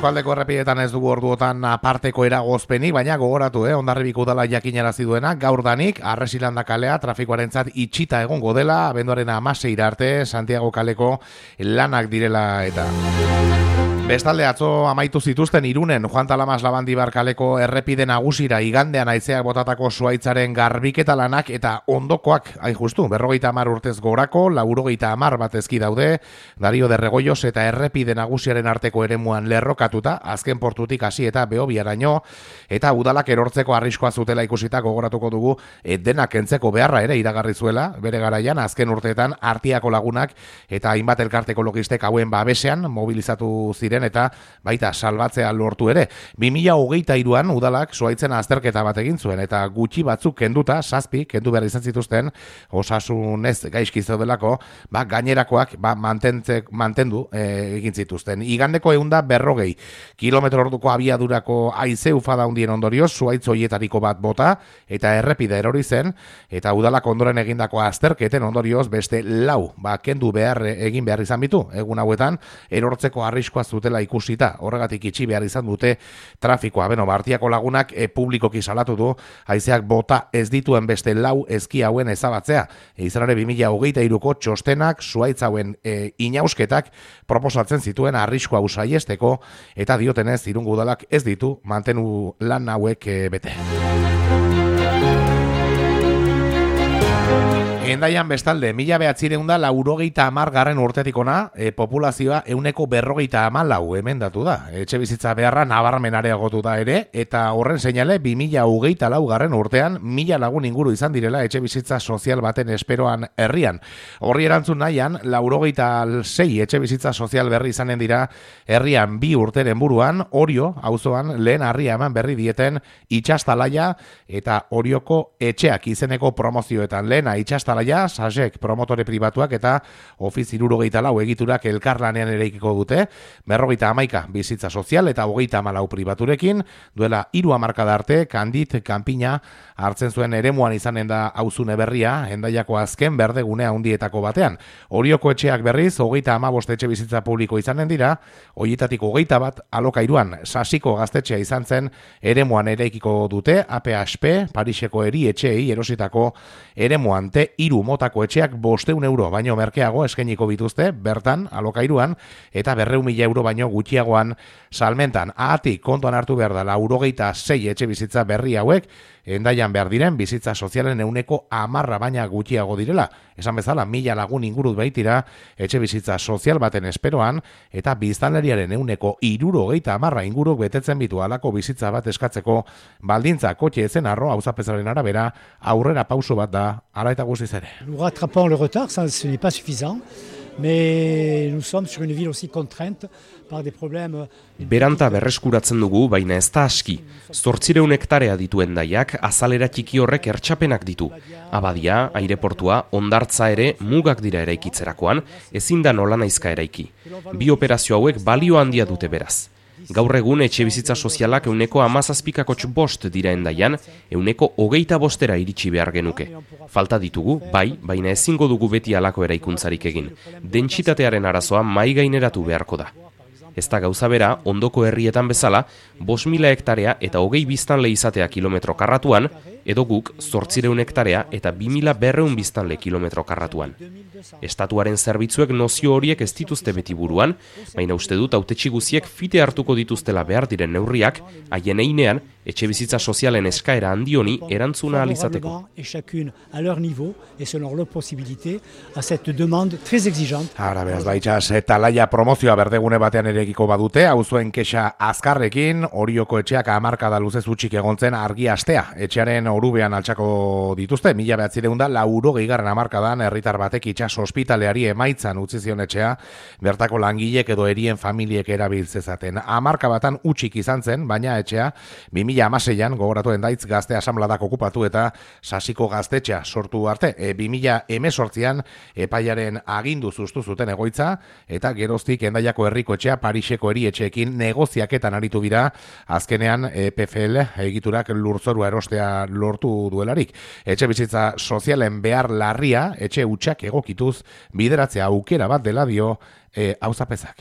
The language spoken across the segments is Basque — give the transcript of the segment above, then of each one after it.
eskualdeko errepidetan ez dugu orduotan aparteko eragozpeni, baina gogoratu, Hondarribiko udala jakinarazi duena, gaur danik, Arresilanda kalea trafikoarentzat itxita egongo dela, abenduaren 16 arte, Santiago kaleko lanak direla eta... Bestalde atzo amaitu zituzten Irunen Juan Talamas Labandibar kaleko errepide nagusira igandean haizeak botatako zuhaitzaren garbiketa lanak eta ondokoak, hain justu, 50 urtez gorako, 90 bat ezki daude, Dario de Regoyos eta errepide nagusiaren arteko eremuan lerrokatuta, azken portutik hasi eta Behobiaraino, eta udalak erortzeko arriskoa zutela ikusita gogoratuko dugu, denak kentzeko beharra ere iragarri zuela, bere garaian, azken urteetan Artiako lagunak eta hainbat elkarte ekologistek hauen babesean mobilizatu ziren eta baita salbatzea lortu ere. 2023an udalak zuhaitzen azterketa bat egin zuen eta gutxi batzuk kenduta, 7 kendu behar izan zituzten, osasunez gaizki zeudelako, gainerakoak mantendu egin zituzten. Igandeko 140 kilometro orduko abiadurako haize ufada handien ondorioz, zuhaitz horietariko bat bota eta errepide erori zen, eta udalak ondoren egindako azterketen ondorioz beste 4 kendu egin behar izan bitu. Egun hauetan, erortzeko arriskoa zutela ikusita, horregatik itxi behar izan dute trafikoa. Artiako lagunak publikoki salatu du, haizeak bota ez dituen beste 4 ezki hauen ezabatzea. Izarare 2023ko txostenak zuhaitz hauen inausketak proposatzen zituen arriskoa usaiesteko, eta diotenez Irungo udalak ez ditu mantenu lan hauek bete. Hendaian bestalde, 1990 urtetik ona, populazioa 154 emendatu da. Etxe bizitza beharra nabarmen areagotu da ere, eta horren seinale 2024 urtean 1000 lagun inguru izan direla etxe bizitza sozial baten esperoan herrian. Horri erantzun nahian, 96 etxe bizitza sozial berri izanen dira herrian 2 urteren buruan, Orio, auzoan lehen harria eman berri dieten Itxastalaia eta Orioko etxeak izeneko promozioetan lehena Itxastalaia, Sasek promotore pribatuak eta Ofiz 74 egiturak elkarlanean eraikiko dute, 51 bizitza sozial eta 34 pribaturekin, duela 3 hamarkada arte, Kandit, Kanpina hartzen zuen eremuan izanen da auzune berria, Hendaiako azken berdegunea handietako batean. Orioko etxeak berriz, 35 etxe bizitza publiko izanen dira, horietatik 21 alokairuan, Sasiko gaztetxea izan zen eremuan eraikiko dute, APHP, Pariseko eri etxeei erositako eremuan hiru motako etxeak 500 euro baino merkeago eskainiko bituzte, bertan, alokairuan, eta 200.000 euro baino gutxiagoan salmentan. Ahatik kontuan hartu behar da, 96 etxe bizitza berri hauek, Hendaian behar diren bizitza sozialen 10% baina gutxiago direla. Esan bezala, 1000 lagun ingurut baitira etxe bizitza sozial baten esperoan, eta biztanleriaren 70% inguruk betetzen bitu halako bizitza bat eskatzeko baldintza kotxe ezen arro auzapezaren arabera aurrera pauso bat da, ara eta guztiz ere. Nous rattrapons le retard, ça ce n'est pas suffisant. Mais nous sommes sur une ville aussi contrainte par des problèmes. Beranta berreskuratzen dugu, baina ez da aski. 800 hektarea ditu Hendaiak, azalera txiki horrek ertxapenak ditu. Abadia, aireportua, hondartza ere mugak dira eraikitzerakoan, ezin da nolanaizka eraiki. 2 operazio hauek balio handia dute beraz. Gaur egun etxe bizitza sozialak 17,5 dira Hendaian, 25 iritsi behar genuke. Falta ditugu, bai, baina ezingo dugu beti halako eraikuntzarik egin. Dentsitatearen arazoa mai gaineratu beharko da. Ez da gauza bera, ondoko herrietan bezala, 5.000 hektarea eta 20 biztanle izatea kilometro karratuan, edo guk 800 hektarea eta 2.200 biztanle kilometro karratuan. Estatuaren zerbitzuek nozio horiek ez dituzte beti buruan, baina uste dut hautetsi guziek fite hartuko dituztela behar diren neurriak, haien einean, etxe bizitza sozialen eskaera handioni erantzuna alizateko. Ara, beraz, baitxas, Talaia promozioa berdegune batean erekiko badute, auzuen kexa azkarrekin, Orioko etxeak 10 luzez utxik egontzen argi astea. Etxearen orubean altxako dituzte, 1980 hamarkadan herritar batek itxas ospitaleari emaitzan utzi zion etxea, bertako langilek edo erien familiek erabiltzezaten. 10 batan utxik izan zen, baina etxea 2016an gogoratu Hendaitz gazte asanbladak okupatu eta Sasiko gaztetxea sortu arte. 2018an epaiaren agindu zuztu zuten egoitza eta geroztik Hendaiako herriko etxea Pariseko eri etxeekin negoziaketan aritu dira, azkenean PFL egiturak lurzorua erostea lortu duelarik. Etxe bizitza sozialen behar larria, etxe hutsak egokituz bideratzea aukera bat dela dio auzapezak.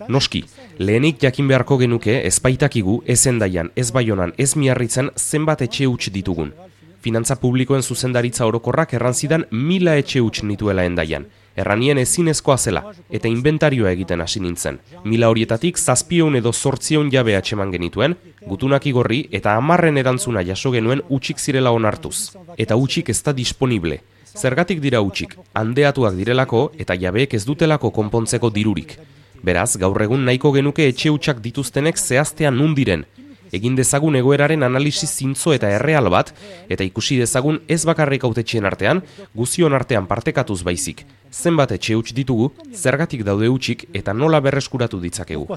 Noski, lehenik jakin beharko genuke ez baitakigu, ez Hendaian, ez Baionan, ez Miarritzen zenbat etxe huts ditugun. Finantza publikoen zuzendaritza orokorrak erranzidan 1000 etxe huts nituela Hendaian. Erranien ezinezkoa zela, eta inventarioa egiten hasi nintzen. 1000 horietatik 700 edo 800 jabe atxeman genituen, gutunak igorri eta 10 erantzuna jaso genuen hutsik zirela onartuz. Eta hutsik ez da disponible. Zergatik dira hutsik, handeatuak direlako eta jabeek ez dutelako konpontzeko dirurik. Beraz, gaur egun nahiko genuke etxe hutsak dituztenek zehaztea nun diren. Egin dezagun egoeraren analisi zintzo eta erreal bat, eta ikusi dezagun ez bakarrik hautetxeen artean, guzion artean partekatuz baizik. Zenbat etxe huts ditugu, zergatik daude hutsik eta nola berreskuratu ditzakegu.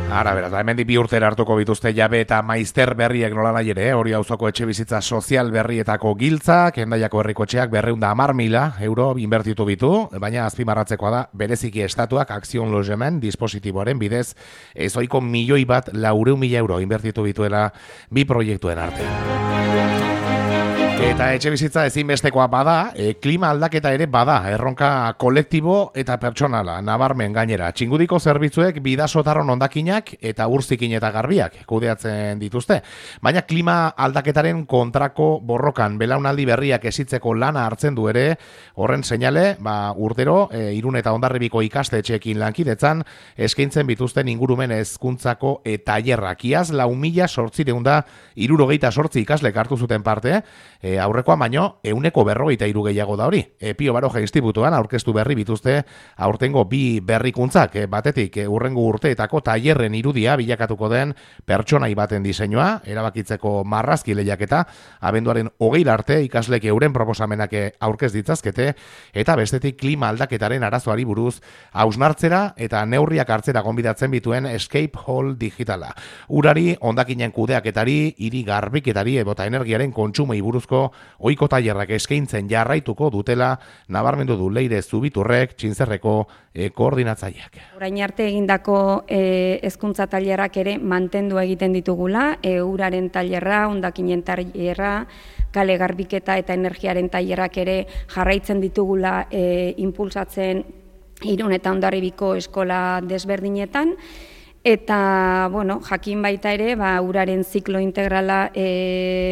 Ara, beraz, hemendik 2 urtera hartuko bituzte jabe eta maizter berriek nola nahi ere, hori auzoko etxe bizitza sozial berrietako giltzak, Hendaiako herrikotxeak 210.000 euro inbertitu bitu, baina azpimarratzekoa da, bereziki estatuak Akzion Logemen dispositiboaren bidez, ezoiko 1.400.000 euro inbertitu bituela bi proiektuen artean. Eta etxe bizitza ezinbestekoa bada, klima aldaketa ere bada, erronka kolektibo eta pertsonala, nabarmen gainera. Txingudiko zerbitzuek bidasotarron hondakinak eta urzikin eta garbiak kudeatzen dituzte. Baina klima aldaketaren kontrako borrokan belaunaldi berriak esitzeko lana hartzen du ere, horren seinale, urtero, Irun eta Hondarribiko ikastetxeekin lankidetzan, eskaintzen bituzten ingurumen hezkuntzako tailerrak. Iaz 4.868 ikaslek hartu zuten parte, aurrekoa baino 153 gehiago da hori. Pio Baroja Institutuan aurkeztu berri bituzte aurtengo bi berrikuntzak, batetik hurrengo urteetako tailerren irudia bilakatuko den pertsonai baten diseinua, erabakitzeko marrazki lehiaketa, abenduaren 20 arte ikaslek euren proposamenak aurkez ditzazkete, eta bestetik klima aldaketaren arazoari buruz hausnartzera eta neurriak hartzera gonbidatzen bituen Escape Hall digitala. Urari, hondakinen kudeaketari, hiri garbiketari eta energiaren kontsumoi buruzko ohiko tailerrak eskaintzen jarraituko dutela nabarmendu du Leire Zubiturrek, Txintzerreko koordinatzaileak. Orain arte egindako hezkuntza tailerrak ere mantendu egiten ditugula, uraren tailerra, hondakinen tailerra, kale garbiketa eta energiaren tailerrak ere jarraitzen ditugula impulsatzen Irun eta Hondarribiko eskola desberdinetan. Eta, jakin baita ere, uraren ziklo integrala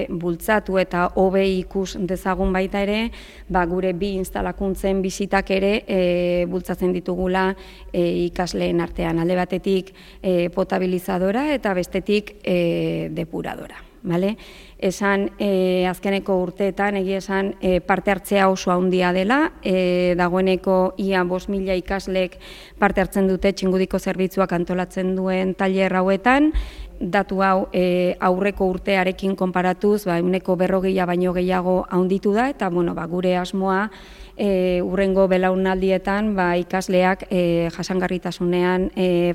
bultzatu eta hobe ikus dezagun baita ere, gure bi instalakuntzen bisitak ere bultzatzen ditugula ikasleen artean. Alde batetik potabilizadora eta bestetik depuradora. Esan azkeneko urteetan egia esan parte hartzea oso handia dela, dagoeneko ia 5.000 ikaslek parte hartzen dute Txingudiko zerbitzuak antolatzen duen tailer hauetan, datu hau aurreko urtearekin konparatuz, 140 baino gehiago handitu da, eta gure asmoa hurrengo belaunaldietan ikasleak jasangarritasunean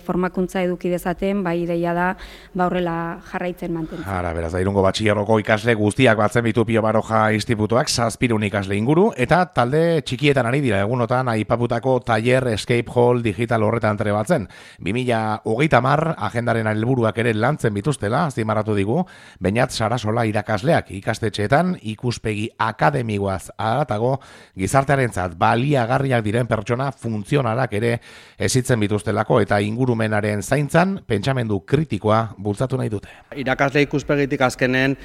formakuntza eduki dezaten, ideia da horrela jarraitzen mantentzen. Ara, beraz, Irungo batxilergoko ikasle guztiak batzen bitu Pio Baroja Institutuak 700 ikasle inguru, eta talde txikietan ari dira egunotan aipaputako tailer Escape Hall digital horretan trebatzen. 2030 agendaren helburuak ere lantzen bituztela, azpimarratu digu, Beñat Sarasola irakasleak ikastetxeetan ikuspegi akademikoaz haratago gizartearentzat baliagarriak diren pertsona funtzionalak ere ezitzen bituztelako eta ingurumenaren zaintzan pentsamendu kritikoa bultzatu nahi dute. Irakasle ikuspegitik azkenen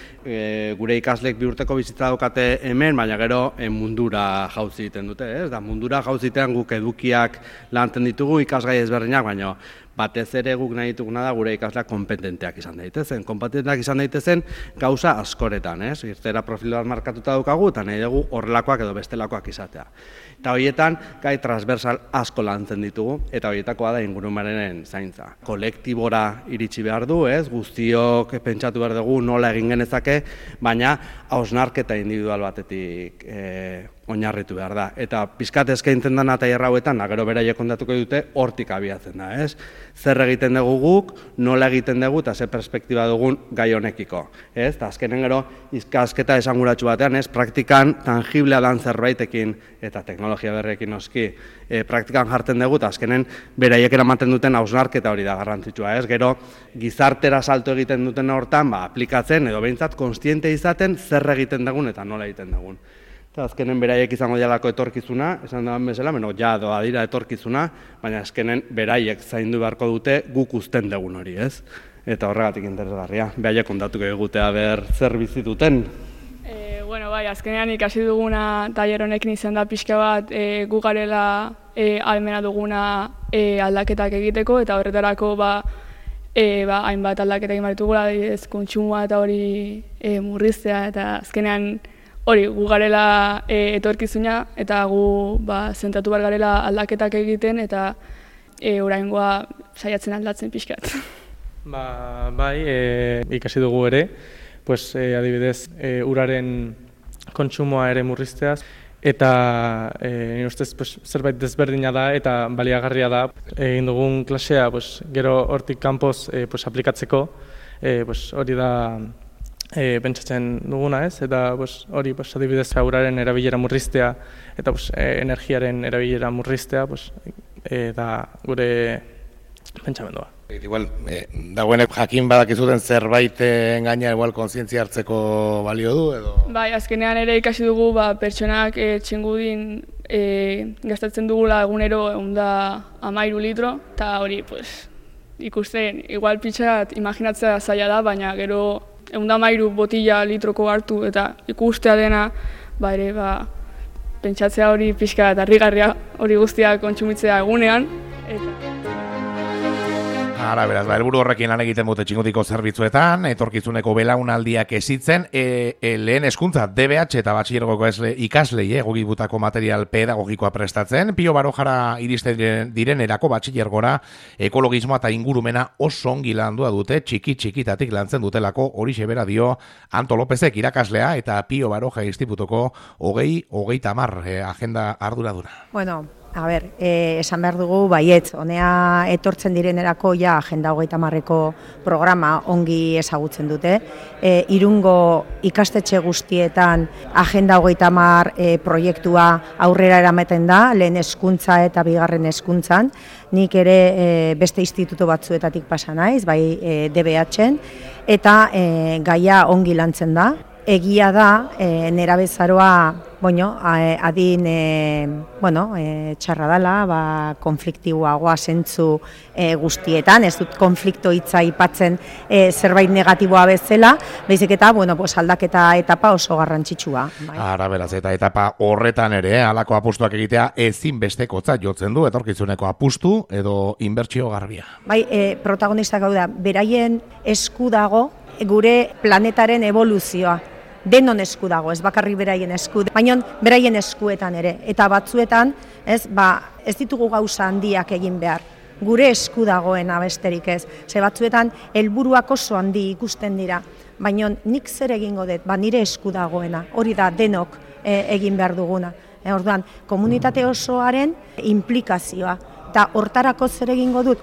gure ikasleek 2 urteko bizitza daukate hemen, baina gero mundura jauzi egiten dute, ez? Mundura jauzitean guk edukiak lantzen ditugu ikasgai ezberdinak, baina batez ere guk nahi dituguna da gure ikasleak kompetenteak izan daitezen. Kompetenteak izan daitezen gauza askoretan, ez? Irtera profiloak markatuta daukagu eta nahi dugu horrelakoak edo bestelakoak izatea. Eta horietan gai transversal asko lantzen ditugu eta horietakoa da ingurumenaren zaintza. Kolektibora iritsi behar du, ez? Guztiok pentsatu behar dugu nola egin genezake, baina hausnarketa individual batetik oinarritu behar da. Eta pizkat eskaintzen dena tailer hauetan, gero beraiek kontatuko dute, hortik abiatzen da, ez? Zer egiten dugu guk, nola egiten dugu, eta ze perspektiba dugun gai honekiko, ez? Eta azkenen gero, ikasketa esanguratsu batean, ez? Praktikan tangiblea dan zerbaitekin, eta teknologia berrekin noski, praktikan jartzen dugu, eta azkenen beraiek eramaten duten hausnarketa hori da garrantzitsua, ez? Gero, gizartera salto egiten duten hortan, aplikatzen, edo behintzat, konstiente izaten, zer egiten dugun, eta nola egiten dugun. Eta azkenen beraiek izango dialako etorkizuna, esan dagoen bezala, ja doa dira etorkizuna, baina azkenen beraiek zaindu beharko dute guk uzten dugun hori, ez? Eta horregatik interesgarria, beraiek kontatuko egutea ber zer bizi duten. Bueno, bai, azkenean ikasi duguna tailer honekin izan da pixka bat gu garela ahalmena duguna aldaketak egiteko, eta horretarako hainbat aldaketak egin behar ditugula, adibidez kontsumoa eta hori murriztea, eta azkenean hori, gu garela etorkizuna, eta gu zentratu behar garela aldaketak egiten, eta oraingoa saiatzen aldatzen pixkat. Bai, ikasi dugu ere, adibidez, uraren kontsumoa ere murrizteaz, eta nire ustez zerbait desberdina da eta baliagarria da. Egin dugun klasea gero hortik kanpoz aplikatzeko, hori da pentsatzen duguna, ez? Eta hori adibidez uraren erabilera murriztea eta energiaren erabilera murriztea da gure pentsamendua. Igual, dagoenek jakin badakizuten zerbaiten gaina igual kontzientzia hartzeko balio du edo? Bai, azkenean ere ikasi dugu pertsonak txingudin gastatzen dugula egunero 113 litro, eta hori ikusten igual pixat imaginatzea zaila da, baina gero 113 botila litroko hartu eta ikustea dena, ere pentsatzea hori pixka eta harrigarria hori guztia kontsumitzea egunean. Ara, beraz, helburu horrekin lan egiten dute txingudiko zerbitzuetan, etorkizuneko belaunaldiak hezitzen, lehen hezkuntza DBH eta batxilergoko ikaslei egokitutako material pedagogikoa prestatzen, Pio Barojara iristen direnerako batxilergora ekologismoa eta ingurumena oso ongi landua dute, txiki-txikitatik lantzen dutelako, horixe bera dio Anto Lopezek irakaslea eta Pio Baroja institutuko 2030 agenda arduraduna. Bueno, a ber, esan behar dugu baietz, honea etortzen direnerako agenda 2030ko programa ongi ezagutzen dute. Irungo ikastetxe guztietan agenda 2030 proiektua aurrera eramaten da, lehen hezkuntza eta bigarren hezkuntzan. Nik ere beste instituto batzuetatik pasa naiz, bai DBH-en, eta gaia ongi lantzen da. Egia da, nerabezaroa adin txarra dela, konfliktiboagoa zentzu guztietan, ez dut konflikto hitza aipatzen zerbait negatiboa bezala, baizik eta aldaketa etapa oso garrantzitsua. Ara, beraz, eta etapa horretan ere, halako apustuak egitea ezinbestekotzat jotzen du, etorkizuneko apustu edo inbertsio garbia. Bai, protagonistak hau da, beraien esku dago gure planetaren evoluzioa. Denon esku dago, ez bakarrik beraien esku, baina beraien eskuetan ere. Eta batzuetan, ez ditugu gauza handiak egin behar. Gure esku dagoena besterik ez. Ze batzuetan, helburuak oso handi ikusten dira. Baina nik zer egingo dut, nire esku dagoena. Hori da, denok egin behar duguna. Orduan, komunitate osoaren implikazioa. Eta hortarako zer egingo dut?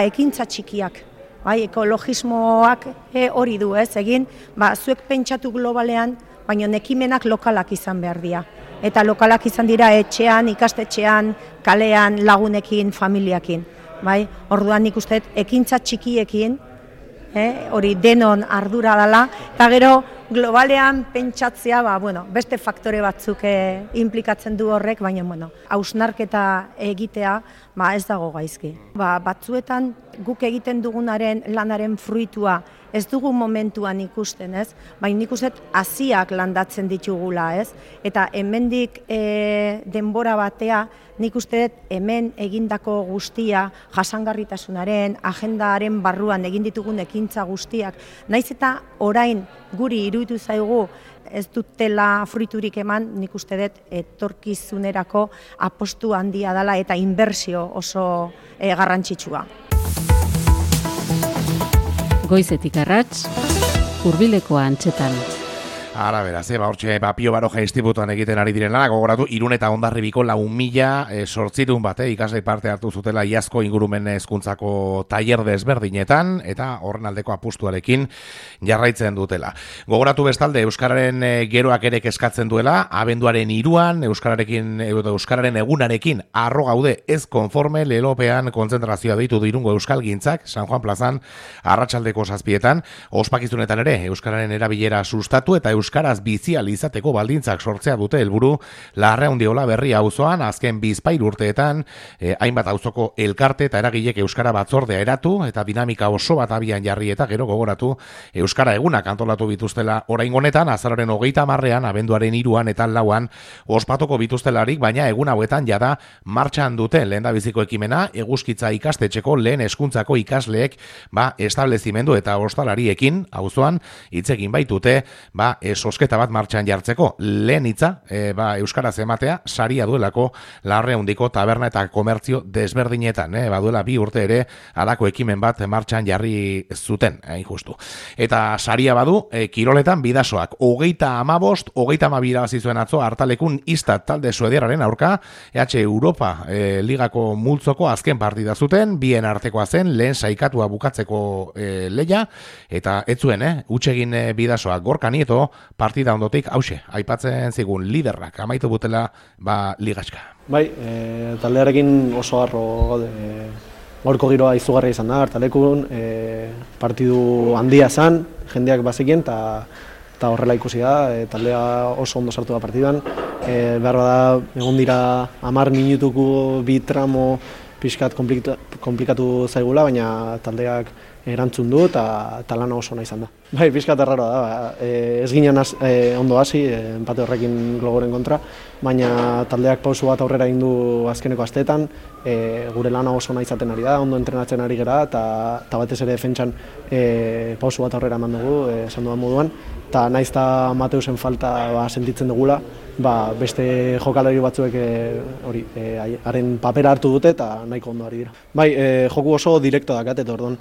Ekintza txikiak. Ekologismoak hori du, egin, zuek pentsatu globalean, baina ekimenak lokalak izan behar dira. Eta lokalak izan dira etxean, ikastetxean, kalean, lagunekin, familiakin. Orduan nik uste, ekintza txikiekin, hori denon ardura dela, eta gero globalean pentsatzea, beste faktore batzuk implikatzen du horrek, baina hausnarketa egitea ez dago gaizki. Batzuetan guk egiten dugunaren lanaren fruitua ez dugu momentuan ikusten, baina nik uste haziak landatzen ditugula, eta hemendik denbora batea nik uste hemen egindako guztia jasangarritasunaren, agendaren barruan egin ditugun ekintza guztiak, naiz eta orain guri iruditu zaigu ez dutela fruiturik eman, nik uste dut etorkizunerako apostu handia dela eta inbertsio oso garrantzitsua. Goizetik arrats, hurbileko antzetan. Ara beraz, hortxe Pio Baroja institutuan egiten ari direla, gogoratu, Irun eta Hondarribiko 4.000 sortzirun bat, ikasle parte hartu zutela iazko ingurumen hezkuntzako tailer desberdinetan, eta horren aldeko apustuarekin jarraitzen dutela. Gogoratu bestalde, Euskararen geroak ere eskatzen duela, abenduaren 3an, Euskararen egunarekin arro gaude ez konforme lelopean kontzentrazioa deitu Irungo Euskalgintzak, San Juan plazan, arratsaldeko 7etan, ospakizunetan ere, Euskararen erabilera sustatu eta euskaraz bizial izateko baldintzak sortzea dute helburu Larraundiola Berri auzoan azken 2 urteetan hainbat auzoko elkarte eta eragilek euskara batzordea eratu eta dinamika oso bat abian jarri eta gero gogoratu euskara egunak antolatu bituztela oraingo honetan azararen 30ean abenduaren 3an eta 4an ospatuko bituztelarik, baina egun hauetan jada martxan dute lehendabiziko ekimena Eguzkitza ikastetxeko lehen hezkuntzako ikasleek establezimendu eta ostalariekin auzoan hitz egin baitute sosketa bat martxan jartzeko. Lehen hitza, euskaraz ematea, saria duelako Larraundiko taberna eta komertzio desberdinetan. Baduela 2 urte ere, halako ekimen bat martxan jarri zuten, justu. Eta saria badu, kiroletan bidasoak, 35, 32 irabazi zuen atzo, hartalekun Istat talde suediarraren aurka, EH Europa ligako multzoko azken partida zuten, bien artekoa zen, lehen saikatua bukatzeko leia, eta ez zuen, hutsegin bidasoak Gorka Nieto, partida ondotik, hause, aipatzen zigun liderrak, amaitu butela, ligatxka. Bai, taldearekin oso harro gaude, gaurko giroa izugarria izan da, hartalekun, partidu handia zen, jendeak bazekien, eta horrela ikusi da, taldea oso ondo sartu da partiduan, behar bada, egon dira 10 minutuko 2 tramo pixkat komplikatu zaigula, baina taldeak erantzun du eta lana oso nahi izan da. Bai, pixkat erraroa da, ez ginen ondo hasi, empate horrekin Glogoren kontra, baina taldeak pausu bat aurrera egin du azkeneko asteetan, gure lana oso nahi izaten ari da, ondo entrenatzen ari gera, eta batez ere defentsan pausu bat aurrera eman dugu, esan dudan moduan, eta naiz eta Mateusen falta sentitzen dugula, beste jokalari batzuek haren papera hartu dute eta nahiko ondo ari dira. Bai, joku oso direkto dakat, eta orduan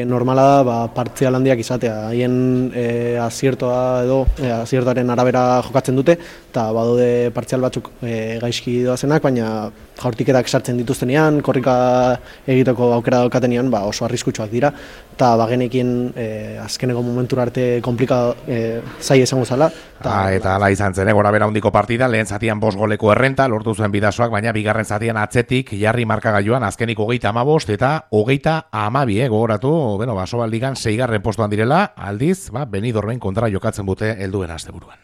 normala da partzial handiak izatea, haien aziertoaren arabera jokatzen dute, eta badaude partzial batzuk gaizki doazenak, baina jaurtiketak sartzen dituztenean, korrika egiteko aukera daukatenean oso arriskutsuak dira, eta bagenekin azkeneko momentura arte zai esango zala. Eta ala izan zen, gora bera hundiko partida, lehen zatian 5 goleko errenta, lortu zuen bidasoak, baina bigarren zatian atzetik jarri markagailuan azkenik 35 eta 32, gogoratu, Basobaldigan 6. postuan direla, aldiz, Benidormen kontra jokatzen dute helduen asteburuan.